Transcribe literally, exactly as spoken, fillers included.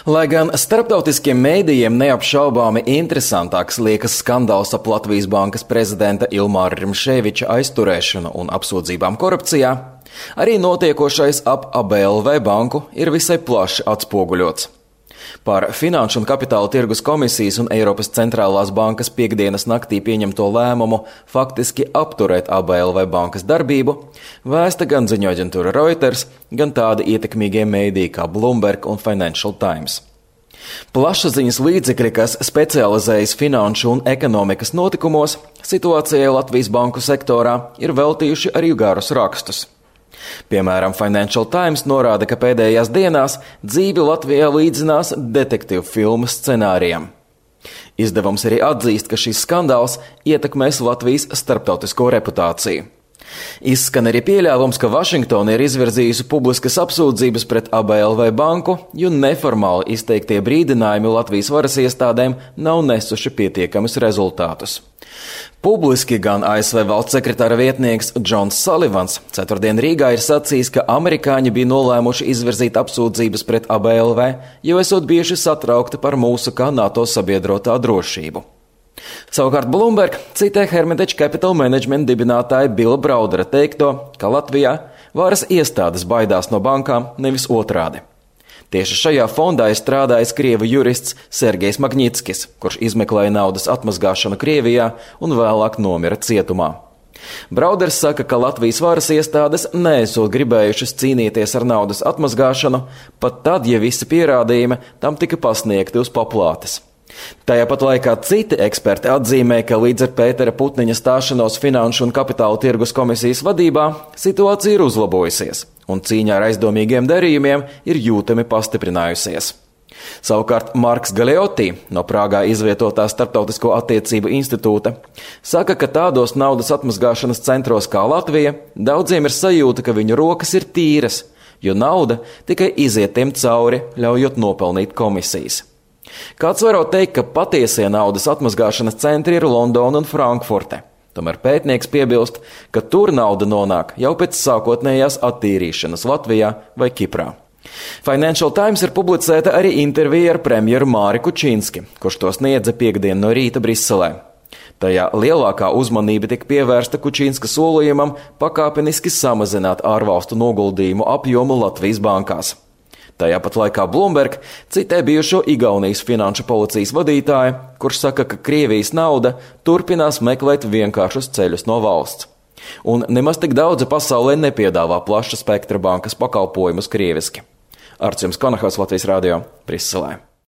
Lai gan starptautiskiem mēdījiem neapšaubāmi interesantāks liekas skandāls ap Latvijas bankas prezidenta Ilmāra Rimšēviča aizturēšanu un apsūdzībām korupcijā, arī notiekošais ap A B L V banku ir visai plaši atspoguļots. Par Finanšu un Kapitāla tirgus komisijas un Eiropas centrālās bankas piektdienas naktī pieņemto lēmumu faktiski apturēt A B L V bankas darbību vēsta gan ziņu aģentūra Reuters, gan tādi ietekmīgie mēdīji kā Bloomberg un Financial Times. Plašsaziņas līdzekļi, kas specializējas finanšu un ekonomikas notikumos, situācijai Latvijas banku sektorā ir veltījuši arī garus rakstus. Piemēram, Financial Times norāda, ka pēdējās dienās dzīvi Latvijā līdzinās detektīvu filmu scenārijam. Izdevums arī atzīst, ka šis skandāls ietekmēs Latvijas starptautisko reputāciju. Izskan arī pieļāvums, ka Vašingtona ir izvirzījusi publiskas apsūdzības pret A B L V banku, jo neformāli izteiktie brīdinājumi Latvijas varas iestādēm nav nesuši pietiekamus rezultātus. Publiski gan A S V valsts sekretāra vietnieks Džons Salivans ceturtdien Rīgā ir sacījis, ka amerikāņi bija nolēmuši izvirzīt apsūdzības pret A B L V, jo esot bijuši satraukti par mūsu kā NATO sabiedrotā drošību. Savukārt Bloomberg citē Hermitage Capital Management dibinātāja Billa Braudera teikto, ka Latvijā varas iestādes baidās no bankām, nevis otrādi. Tieši šajā fondā ir strādājis krievu jurists Sergejs Magnitskis, kurš izmeklēja naudas atmazgāšanu Krievijā un vēlāk nomira cietumā. Brauders saka, ka Latvijas varas iestādes neesot gribējušas cīnīties ar naudas atmazgāšanu, pat tad, ja visi pierādījumi tam tika pasniegti uz paplātes. Tajā pat laikā citi eksperti atzīmē, ka līdz ar Pētera Putniņa stāšanos Finanšu un Kapitāla tirgus komisijas vadībā situācija ir uzlabojusies, un cīņa ar aizdomīgiem darījumiem ir jūtami pastiprinājusies. Savukārt Marks Galeotti no Prāgā izvietotā Starptautisko attiecību institūta saka, ka tādos naudas atmazgāšanas centros kā Latvija daudziem ir sajūta, ka viņu rokas ir tīras, jo nauda tikai iziet tiem cauri, ļaujot nopelnīt komisijas. Kāds varot teikt, ka patiesie naudas atmazgāšanas centri ir Londona un Frankfurte. Tomēr pētnieks piebilst, ka tur nauda nonāk jau pēc sākotnējās attīrīšanas Latvijā vai Kiprā. Financial Times ir publicēta arī intervija ar premjeru Māri Kučinski, kurš to sniedza piektdien no rīta Briselē. Tajā lielākā uzmanība tika pievērsta Kučinska solījumam pakāpeniski samazināt ārvalstu noguldījumu apjomu Latvijas bankās. Tajā pat laikā Bloomberg citē bijušo Igaunijas finanšu policijas vadītāju, kurš saka, ka Krievijas nauda turpinās meklēt vienkāršus ceļus no valsts. Un nemaz tik daudzi pasaulē nepiedāvā plaša spektra bankas pakalpojumus krieviski. Arts jums Konahos, Latvijas radio, Briselē.